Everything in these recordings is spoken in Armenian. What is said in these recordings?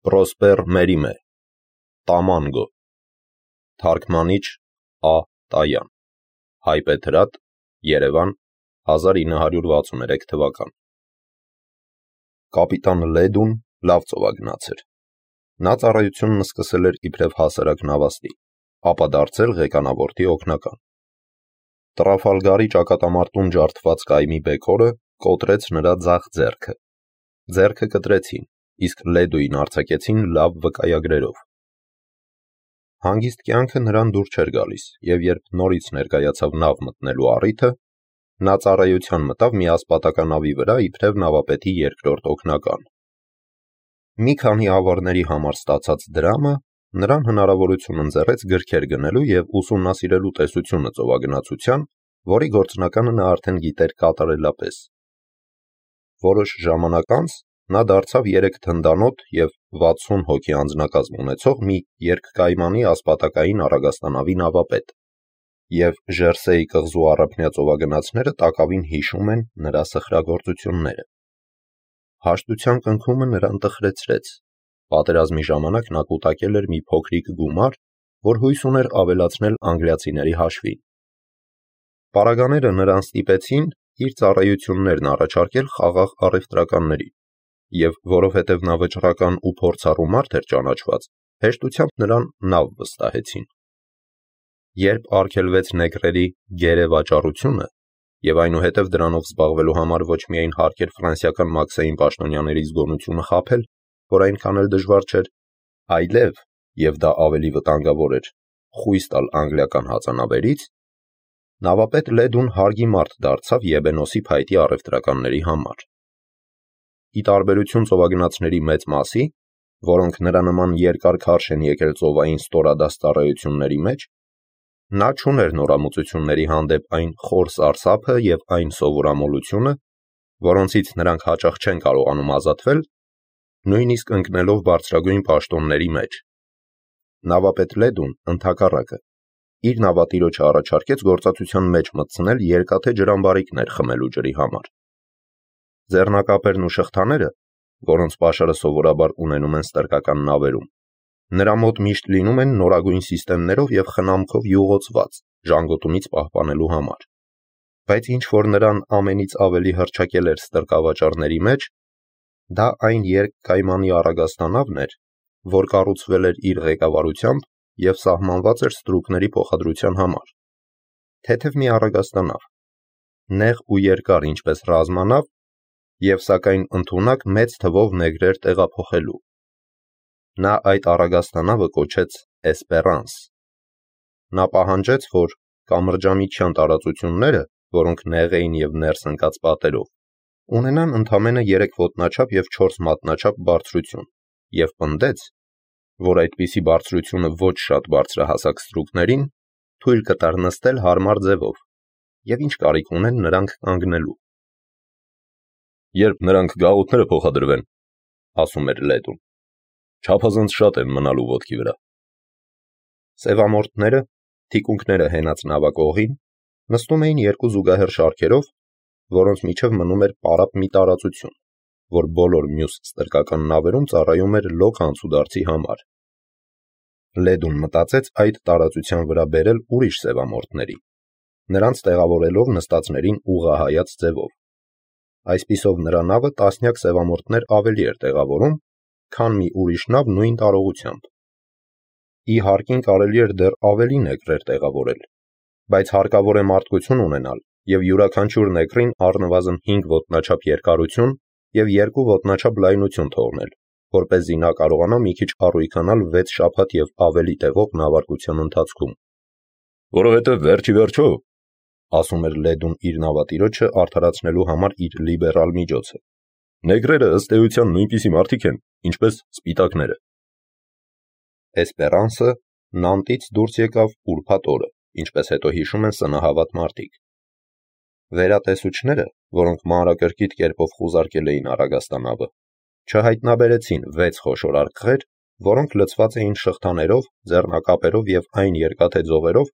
Պրոսպեր Մերիմե, Տամանգո, թարգմանիչ Ա. Տայան, Հայպեթրատ, Երևան, 1963 թվական։ Կապիտան Լեդուն լավ ծովագնաց էր։ Նա ծառայությունն սկսել էր իբրև հասարակ նավաստի, ապա դարձել ղեկանավորի օգնական։ Տրաֆալգարի ճակատամարտում ջարդված կայմի բեկորը կոտրեց նրա ձախ ձեռքը։ Ձեռքը կտրեցին, իսկ Լեդուին արձակեցին լավ վկայագրերով։ Հանգիստ կյանքը նրան դուր չէր գալիս, և երբ նորից ներկայացավ նավ մտնելու առիթը, նա ծառայության մտավ մի ասպատականավի վրա իբրև նավապետի երկրորդ օգնական։ Մի քանի ավարների համար ստացած դրամը նրան հնարավորություն ընձեռեց գրքեր գնելու և ուսումնասիրելու տեսությունը ծովագնացության, որի գործնականը նա արդեն գիտեր կատարելապես։ Որոշ ժամանակ անց նա դարձավ 3 թնդանոթ և 60 հոգի անձնակազմ ունեցող մի երկկայմանի ասպատակային առագաստանավի նավապետ, և Ժերսեի կղզու առափնյա ծովագնացները տակավին հիշում են նրա սխրագործությունները։ Հաշտության կնքումը նրան տխրեցրեց։ Պատերազմի ժամանակ նա կուտակել էր մի փոքրիկ գումար, որ հույս ուներ ավելացնել անգլիացիների հաշվին։ Պարագաները նրան ստիպեցին իր ծառայություններն առաջարկել խաղաղ առևտրականներին, և որովհետև նա վճռական ու փորձառու մարդ էր ճանաչված, հեշտությամբ նրան նավ վստահեցին։ Երբ արգելվեց նեգրերի գերե վաճառությունը, և այնուհետև դրանով զբաղվելու համար ոչ միայն հարկ էր ֆրանսիական մաքսային պաշտոնյաների զգոնությունը խաբել, որ այնքան էլ դժվար չէր, այլև, և դա ավելի վտանգավոր էր, խույս տալ անգլիական հածանավերից, նավապետ Լեդուն հարգի մարդ դարձավ Եբենոսի փայտի առևտրականների համար։ Ի տարբերություն ծովագնացների մեծ մասի, որոնք նրա նման երկար քարշ են եկել ծովային ստորադաս ծառայությունների մեջ, նա չուներ նորամուծությունների հանդեպ այն խոր սարսափը և այն սովորամոլությունը, որոնցից նրանք հաճախ չեն կարողանում ազատվել, նույնիսկ ընկնելով բարձրագույն պաշտոնների մեջ։ Նավապետ Լեդուն, ընդհակառակը, իր նավատիրոջը առաջարկեց գործածության մեջ մտցնել երկաթե ջրամբարիկներ խմելու ջրի համար։ Ձեռնակապերն ու շղթաները, որոնց պաշարը սովորաբար ունենում են ստրկական նավերում, նրա մոտ միշտ լինում են նորագույն սիստեմներով և խնամքով յուղոցված, ժանգոտումից պահպանելու համար։ Բայց ինչ որ նրան ամենից ավելի հռչակել էր ստրկավաճառների մեջ, դա այն երկկայմանի առագաստանավն էր, որ կառուցվել էր իր ղեկավարությամբ և սահմանված էր ստրուկների փոխադրության համար։ Թեթև մի առագաստանավ, նեղ ու երկար ինչպես ռազմանավ, և սակայն ընդունակ մեծ թվով նեգրեր տեղափոխելու։ Նա այդ առագաստանավը կոչեց Էսպերանս։ Նա պահանջեց, որ կամրջամիջյան տարածությունները, որոնք նեղ էին և ներս ընկած պատերով, ունենան ընդամենը 3 ոտնաչափ և 4 մատնաչափ բարձրություն, և պնդեց, որ այդպիսի բարձրությունը ոչ շատ բարձրահասակ ստրուկներին թույլ կտար նստել հարմար ձևով, և ինչ կարիք ունեն նրանք կանգնելու։ «Երբ նրանք գաղութները փոխադրվեն, — ասում էր Լեդուն, — չափազանց շատ են մնալու ոտքի վրա»։ Սևամորթները, թիկունքները հենած նավակողին, նստում էին 2 զուգահեռ շարքերով, որոնց միջև մնում էր պարապ մի տարածություն, որ բոլոր մյուս ստրկական նավերում ծառայում էր լոկ անցուդարձի համար։ Լեդուն մտածեց այդ տարածության վրա բերել ուրիշ սևամորթների, նրանց տեղավորելով նստածներին ուղղահայաց ձևով։ Այսպիսով նրա նավը տասնյակ սևամորթներ ավելի էր տեղավորում, քան մի ուրիշ նավ նույն տարողությամբ։ Ի հարկին կարելի էր դեռ ավելի նեգրեր տեղավորել, բայց հարկավոր է մարդկություն ունենալ և յուրաքանչյուր նեգրին առնվազն 5 ոտնաչափ երկարություն և 2 ոտնաչափ լայնություն թողնել, որպեսզի նա կարողանա մի քիչ առույգանալ 6 շաբաթ և ավելի տևող նավարկության ընթացքում։ «Որովհետև վերջիվերջո, — ասում էր Լեդուն իր նավատիրոջը արդարացնելու համար իր լիբերալ միջոցը, — նեգրերը ըստ էության նույնպիսի մարդիկ են, ինչպես սպիտակները»։ Էսպերանսը Նանտից դուրս եկավ ուրբաթ օրը, ինչպես հետո հիշում են սնահավատ մարդիկ։ Վերատեսուչները, որոնք մանրակրկիտ կերպով խուզարկել էին առագաստանավը, չհայտնաբերեցին 6 խոշոր արկղեր, որոնք լցված էին շղթաներով, ձեռնակապերով և այն երկաթե ձողերով,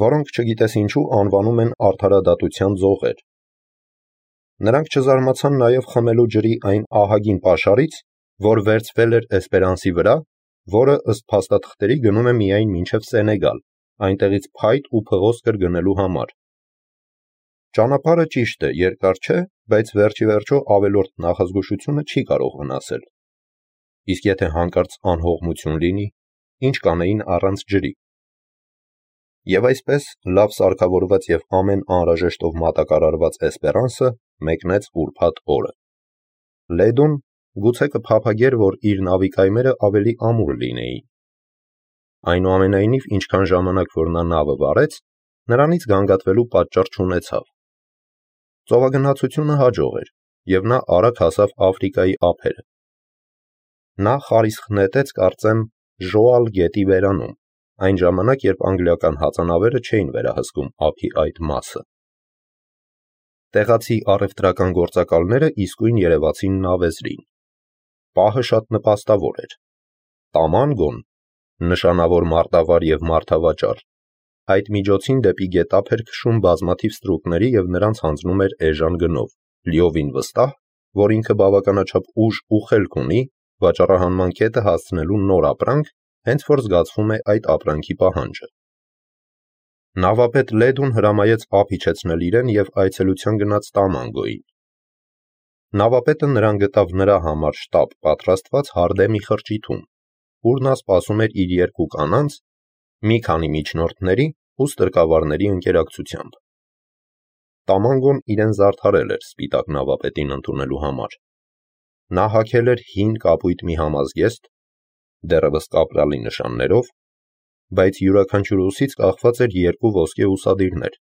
որոնք չգիտես ինչու անվանում են արդարադատության ձողեր։ Նրանք չզարմացան նաև խմելու ջրի այն ահագին պաշարից, որ վերցվել էր Էսպերանսի վրա, որը ըստ փաստաթղթերի գնում է միայն մինչև Սենեգալ, այնտեղից փայտ ու փղոսկր գնելու համար։ Ճանապարհը ճիշտ է, երկար չէ, բայց վերջիվերջո ավելորդ նախազգուշությունը չի կարող վնասել։ Իսկ եթե հանկարծ անհողմություն լինի, ինչ կանեին առանց ջրի։ Եվ այսպես լավ սարքավորված և ամեն անհրաժեշտով մատակարարված Էսպերանսը մեկնեց ուրբաթ օրը։ Լեդուն գուցե կփափագեր, որ իր նավի կայմերը ավելի ամուր լինեին։ Այնուամենայնիվ, ինչքան ժամանակ որ նա նավը վարեց, նրանից գանգատվելու պատճառ չունեցավ։ Ծովագնացությունը հաջող էր, և նա արագ հասավ Աֆրիկայի ափերը։ Նա խարիսխ նետեց, կարծեմ, Ժոալ գետի բերանում, այն ժամանակ, երբ անգլիական հածանավերը չէին վերահսկում ափի այդ մասը։ Տեղացի առևտրական գործակալները իսկույն երևացին նավեզրին։ Պահը շատ նպաստավոր էր։ Տամանգոն, նշանավոր մարտավար և մարդավաճառ, այդ միջոցին դեպի գետափ էր քշում բազմաթիվ ստրուկների և նրանց հանձնում էր էժան գնով, լիովին վստահ, որ ինքը բավականաչափ ուժ ու խելք ունի վաճառահանման կետը հասցնելու նոր ապրանք, հենց որ զգացվում է այդ ապրանքի պահանջը։ Նավապետ Լեդուն հրամայեց ափ իջեցնել իրեն և այցելության գնաց Տամանգոյին։ Նավապետը նրան գտավ նրա համար շտապ պատրաստված հարդեմի խրճիթում, ուր նա սպասում էր իր երկու կանանց, մի քանի միջնորդների ու ստրկավարների ընկերակցությամբ։ Տամանգոն իրեն զարդարել էր սպիտակ նավապետին ընդունելու համար։ Նա հագել էր հին կապույտ մի համազգեստ, դեռևս կապրալի նշաններով, բայց յուրաքանչյուր ուսից կախված էր երկու ոսկե ուսադիրներ,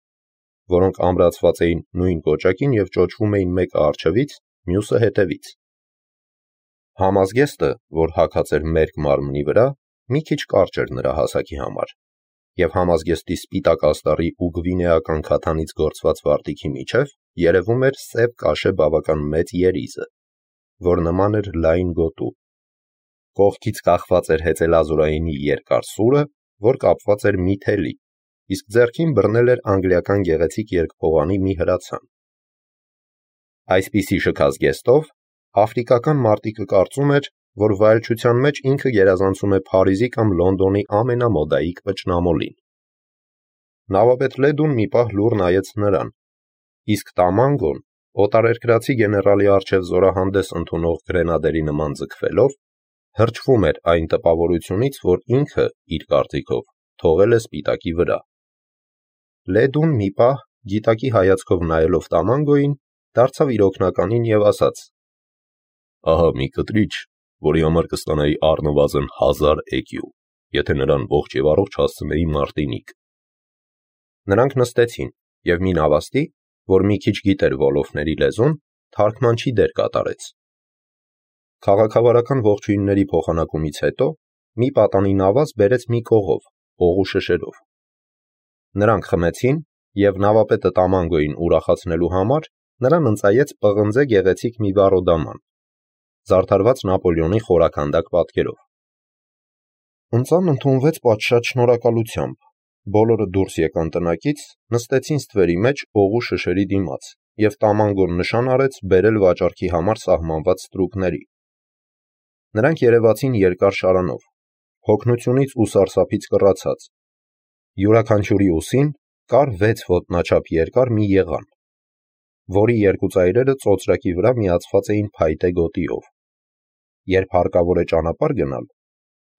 որոնք ամրացված էին նույն կոճակին և ճոճվում էին մեկը առջևից, մյուսը հետևից։ Համազգեստը, որ հագած էր մերկ մարմնի վրա, մի քիչ կարճ էր նրա հասակի համար, և համազգեստի սպիտակ աստառի ու գվինեական քաթանից գործված վարտիքի միջև երևում էր սև կաշե բավական մեծ երիզը, որ նման էր լայն գոտու։ Կողքից կախված էր հեծելազորայինի երկար սուրը, որ կապված էր մի թելի, իսկ ձեռքին բռնել էր անգլիական գեղեցիկ երկփողանի մի հրացան։ Այսպիսի շքազգեստով աֆրիկական մարտիկը կարծում էր, որ վայելչության մեջ ինքը գերազանցում է Փարիզի կամ Լոնդոնի ամենամոդայիկ վճնամոլին։ Նավապետ Լեդուն մի պահ լուռ նայեց նրան, իսկ Տամանգոն, օտարերկրացի գեներալի առջև զորահանդես ընդունող գրենադերի նման ձգվելով, հրճվում էր այն տպավորությունից, որ ինքը, իր կարծիքով, թողել է սպիտակի վրա։ Լեդուն մի պահ, գիտակի հայացքով նայելով Տամանգոյին, դարձավ իր օգնականին և ասաց. «Ահա մի կտրիչ, որի համար կստանայի առնվազն 1000 էկյու, եթե նրան ողջ և առողջ հասցնեի Մարտինիկ»։ Նրանք նստեցին, և մի նավաստի, որ մի քիչ գիտեր Վոլոֆների լեզուն, թարգմանչի դեր կատարեց։ Քաղաքավարական ողջույնների փոխանակումից հետո մի պատանի նավազ բերեց մի կողով, օղու շշերով։ Նրանք խմեցին, և նավապետը Տամանգոյին ուրախացնելու համար նրան ընծայեց պղնձե գեղեցիկ մի վառոդաման, զարդարված Նապոլեոնի խորաքանդակ պատկերով։ Ընծան ընդունվեց պատշաճ շնորհակալությամբ, բոլորը դուրս եկան տնակից, նստեցին ստվերի մեջ օղու շշերի դիմաց, և Տամանգոն նշան արեց բերել վաճառքի համար սահմանված ստրուկների։ Նրանք երևացին երկար շարանով, հոգնությունից ու սարսափից կռացած։ Յուրաքանչյուրի ուսին կար 6 ոտնաչափ երկար մի եղան, որի երկու ծայրերը ծոծրակի վրա միացված էին փայտե գոտիով։ Երբ հարկավոր է ճանապարհ գնալ,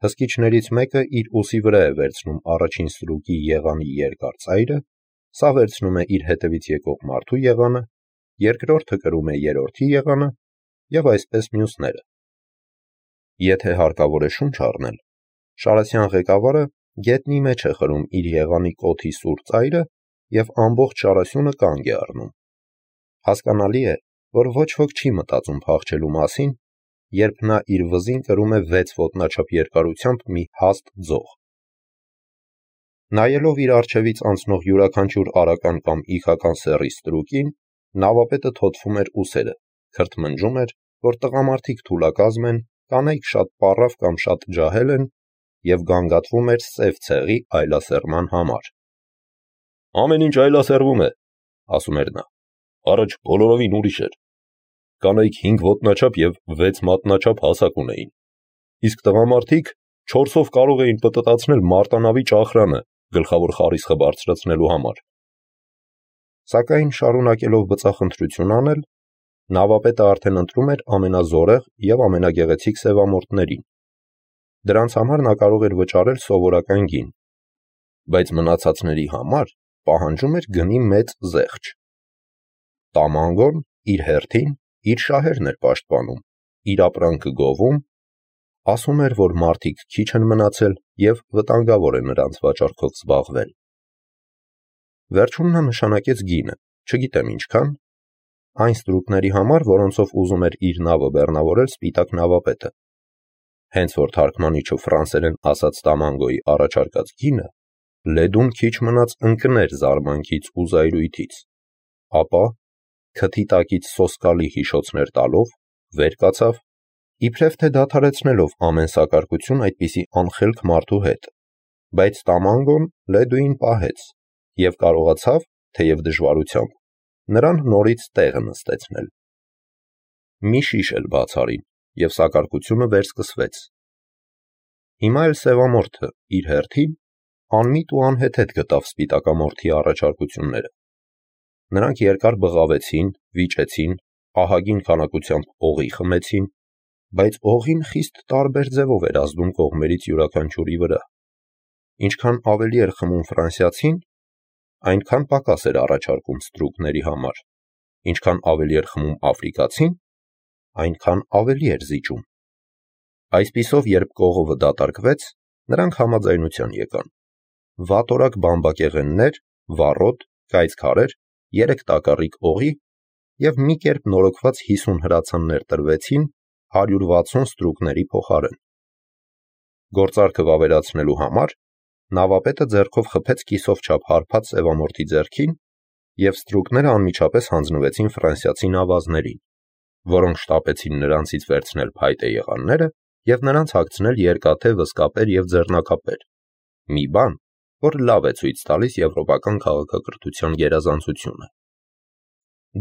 հսկիչներից մեկը իր ուսի վրա է վերցնում առաջին ստրուկի եղանի երկար ծայրը, սա վերցնում է իր հետևից եկող մարդու եղանը, երկրորդը կրում է երրորդի եղանը և այսպես մյուսները։ Եթե հարկավոր է շունչ առնել, շարասյան ղեկավարը գետնի մեջ է խրում իր եղանի կոթի սուր ծայրը և ամբողջ շարասյունը կանգ է առնում։ Հասկանալի է, որ ոչ ոք չի մտածում փախչելու մասին, երբ նա իր վզին կրում է 6 ոտնաչափ երկարությամբ մի հաստ ձող։ Նայելով իր առջևից անցնող յուրաքանչյուր արական կամ իգական սեռի ստրուկին, նավապետը թոթվում էր ուսերը, քրթմնջում էր, որ տղամարդիկ թուլակազմ են, կանայք շատ պառավ կամ շատ ջահել են, և գանգատվում էր սև ցեղի այլասերման համար։ «Ամեն ինչ այլասերվում է», ասում էր նա, «առաջ բոլորովին ուրիշ էր։ կանայք 5 ոտնաչափ և 6 մատնաչափ հասակ ունեին, իսկ տղամարդիկ 4-ով կարող էին պտտացնել մարտանավի ճախրանը գլխավոր խարիսխը բարձրացնելու համար։ Սակայն շարունակելով բծախնդրություն անել, նավապետը արդեն ընտրում էր ամենազորեղ և ամենագեղեցիկ սևամորթներին։ Դրանց համար նա կարող էր վճարել սովորական գին, բայց մնացածների համար պահանջում էր գնի մեծ զեղչ։ Տամանգոն իր հերթին իր շահերն էր պաշտպանում, իր ապրանքը գովում, ասում էր, որ մարդիկ քիչ են մնացել և վտանգավոր է նրանց վաճառքով զբաղվել։ Վերջում նա նշանակեց գինը, չգիտեմ ինչքան, այն ստրուկների համար, որոնցով ուզում էր իր նավը բեռնավորել սպիտակ նավապետը։ Հենց որ թարգմանիչը ֆրանսերեն ասաց Տամանգոյի առաջարկած գինը, Լեդուն քիչ մնաց ընկներ զարմանքից ու զայրույթից, ապա, քթի տակից սոսկալի հիշոցներ տալով, վեր կացավ, իբրև թե դադարեցնելով ամեն սակարկություն այդպիսի անխելք մարդու հետ, բայց Տամանգոն Լեդուին պահեց և կարողացավ, թեև դժվարությամբ, նրան նորից տեղը նստեցնել։ Մի շիշ էլ բաց արին, և սակարկությունը վերսկսվեց։ Հիմա էլ սևամորթը իր հերթին անմիտ ու անհեթեթ գտավ սպիտակամորթի առաջարկությունները։ Նրանք երկար բղավեցին, վիճեցին, ահագին քանակությամբ օղի խմեցին, բայց օղին խիստ տարբեր ձևով էր ազդում կողմերից յուրաքանչյուրի վրա։ Ինչքան ավելի էր խմում ֆրանսիացին, այնքան պակաս էր առաջարկում ստրուկների համար, ինչքան ավելի էր խմում աֆրիկացին, այնքան ավելի էր զիջում։ Այսպիսով, երբ կողովը դատարկվեց, նրանք համաձայնության եկան։ Վատորակ բամբակեղեններ, վառոդ, կայծ քարեր, 3 տակառիկ օղի և մի կերպ նորոգված 50 հրացաններ տրվեցին 160 ստրուկների փոխարեն։ Գործարքը վավերացնելու համար նավապետը ձեռքով խփեց կիսով չափ հարբած սևամորթի ձեռքին, և ստրուկները անմիջապես հանձնվեցին ֆրանսիացի նավազներին, որոնք շտապեցին նրանցից վերցնել փայտե եղանները և նրանց հագցնել երկաթե վզկապեր և ձեռնարկապեր, մի բան, որ լավ է ցույց տալիս եվրոպական քաղաքակրթության գերազանցությունը։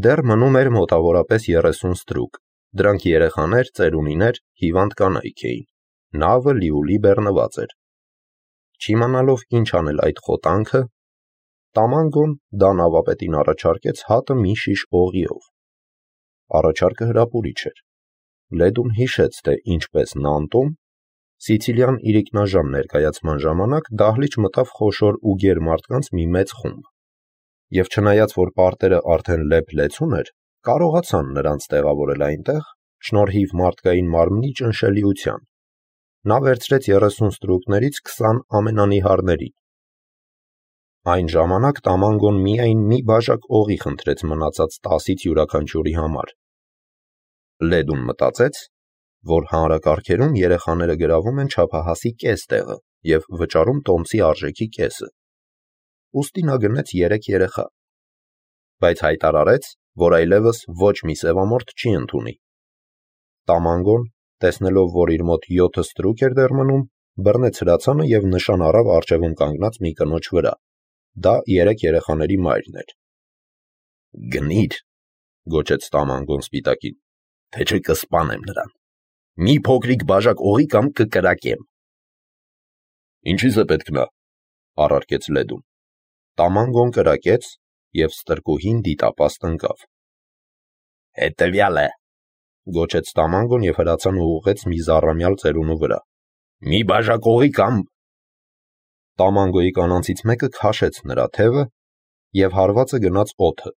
Դեռ մնում էր մոտավորապես 30 ստրուկ, դրանք երեխաներ, ծերունիներ, հիվանդ կանայք էին, նավը լիուլի բեռնված էր։ Չիմանալով ինչ անել այդ խոտանքը, Տամանգոն դա նավապետին առաջարկեց հատը մի շիշ օղիով։ Առաջարկը հրապուրիչ էր։ Լեդուն հիշեց, թե ինչպես Նանտում, Սիցիլիան իրիկնաժամ ներկայացման ժամանակ դահլիճ մտավ խոշոր ու գեր մարդկանց մի մեծ խումբ, և չնայած որ պարտերը արդեն լեփ-լեցուն էր, կարողացան նրանց տեղավորել այնտեղ, շնորհիվ մարդկային մարմնի ճնշելիության։ Նա վերցրեց 30 ստրուկներից 20 ամենանիհարներին։ Այն ժամանակ Տամանգոն միայն մի բաժակ օղի խնդրեց մնացած 10-ից յուրաքանչյուրի համար։ Լեդուն մտածեց, որ հանրակարգերում երեխաները գրավում են չափահասի կես տեղը և վճարում տոմսի արժեքի կեսը։ Ուստի նա գնեց 3 երեխա, բայց հայտարարեց, որ այլևս ոչ մի սևամորթ չի ընդունի։ Տամանգոն, տեսնելով, որ իր մոտ 7 ստրուկ էր դեռ մնում, բռնեց հրացանը և նշան առավ առջևում կանգնած մի կնոջ վրա։ Դա 3 երեխաների մայրն էր։ «Գնի՛ր», գոչեց Տամանգոն սպիտակին, թե չէ կսպանեմ նրան։ Մի փոքրիկ բաժակ օղի կամ կկրակեմ։ «Ինչի՞ս է պետք նա», առարկեց Լեդուն։ Տամանգոն կրակեց, և ստրկուհին դիտապաստ ընկավ։ «Հետևյալը», գոչեց Տամանգոն և հրացանը ուղղեց մի զառամյալ ծերունու վրա։ «Մի բաժակ օղի կամ…» Տամանգոյի կանանցից մեկը քաշեց նրա թևը, և հարվածը գնաց օդը։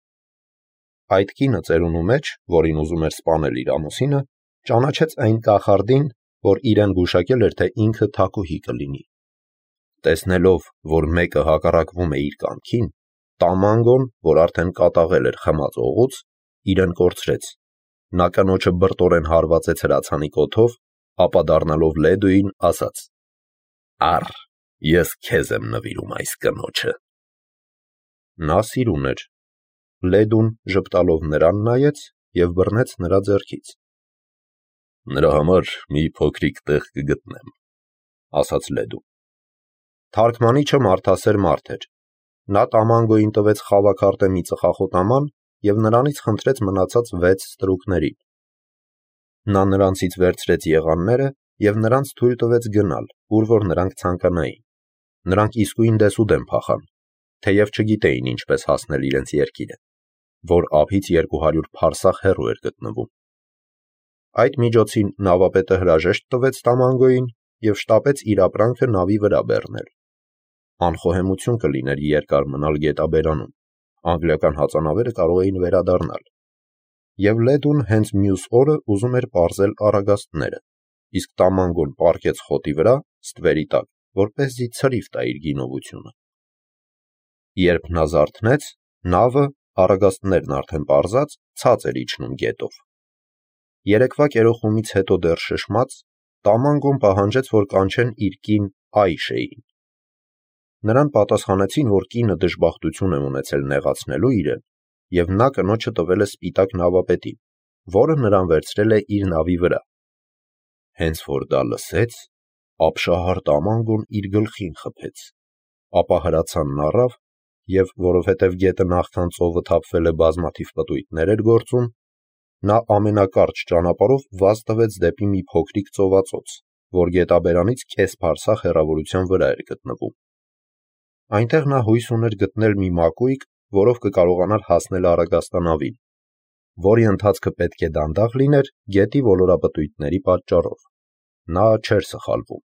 Այդ կինը ծերունու մեջ, որին ուզում էր սպանել իր ամուսինը, ճանաչեց այն կախարդին, որ իրեն գուշակել էր, թե ինքը թագուհի կլինի։ Տեսնելով, որ մեկը հակառակվում է իր կամքին, Տամանգոն, որ արդեն կատաղել էր խմած օղուց, իրեն կորցրեց։ Նա կնոջը բրտորեն հարվածեց հրացանի կոթով, ապա դառնալով Լեդուին, ասաց. «Առ, ես քեզ եմ նվիրում այս կնոջը»։ Նա սիրուն էր։ Լեդուն ժպտալով նրան նայեց և բռնեց նրա ձեռքից։ «Նրա համար մի փոքրիկ տեղ կգտնեմ», ասաց Լեդուն։ Թարգմանիչը մարդասեր մարդ էր։ Նա Տամանգոյին տվեց խավաքարտե մի ծխախոտաման և նրանից խնդրեց մնացած 6 ստրուկներին։ Նա նրանցից վերցրեց եղանները և նրանց թույլ տվեց գնալ, ուր որ նրանք ցանկանային։ Նրանք իսկույն դեսուդեն փախան, թեև չգիտեին ինչպես հասնել իրենց երկիրը, որ ափից 200 փարսախ հեռու էր գտնվում։ Այդ միջոցին նավապետը հրաժեշտ տվեց Տամանգոյին և շտապեց իր ապրանքը նավի վրա բեռնել։ Անխոհեմություն կլիներ երկար մնալ գետաբերանում, անգլիական հածանավերը կարող էին վերադառնալ։ Եվ Լեդուն հենց մյուս օրը ուզում էր պարզել առագաստները, իսկ Տամանգոն պառկեց խոտի վրա, ստվերի տակ, որպեսզի ցրիվ տա իր գինովությունը։ Երբ նա զարթնեց, նավը, առագաստներն արդեն պարզած, ցած էր իջնում գետով։ Երեկվա կերոխումից հետո դեռ շշմած, Տամանգոն պահանջեց, որ կանչեն իր կին Այշեին։ Նրան պատասխանեցին, որ կինը դժբախտություն է ունեցել նեղացնելու իրեն, և նա կնոջը տվել է սպիտակ նավապետին, որը նրան վերցրել է իր նավի վրա։ Հենց որ դա լսեց, ապշահար Տամանգոն իր գլխին խփեց, ապա հրացանն առավ և, որովհետև գետը նախքան ծովը թափվել է բազմաթիվ պտույտներ էր գործում, նա ամենակարճ ճանապարհով վազ տվեց դեպի մի փոքրիկ ծովածոց, որ գետաբերանից կես փարսախ հեռավորության վրա էր գտնվում։ Այնտեղ նա հույս ուներ գտնել մի մակույկ, որով կկարողանար հասնել առագաստանավին, որի ընթացքը պետք է դանդաղ լիներ գետի ոլորապտույտների պատճառով։ Նա չէր սխալվում։